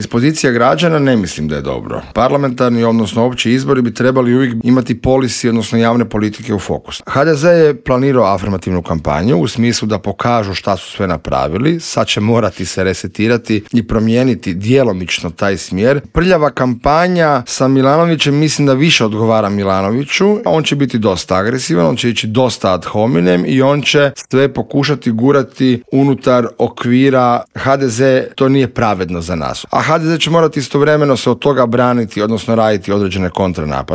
Iz pozicija građana ne mislim da je dobro. Parlamentarni, odnosno opći izbori bi trebali uvijek imati policy, odnosno javne politike u fokus. HDZ je planirao afirmativnu kampanju u smislu da pokažu šta su sve napravili, sad će morati se resetirati i promijeniti djelomično taj smjer. Prljava kampanja sa Milanovićem mislim da više odgovara Milanoviću, on će biti dosta agresivan, on će ići dosta ad hominem i on će sve pokušati gurati unutar okvira HDZ, to nije pravedno za nas. A HDZ će morati istovremeno se od toga braniti, odnosno raditi određene kontranapade.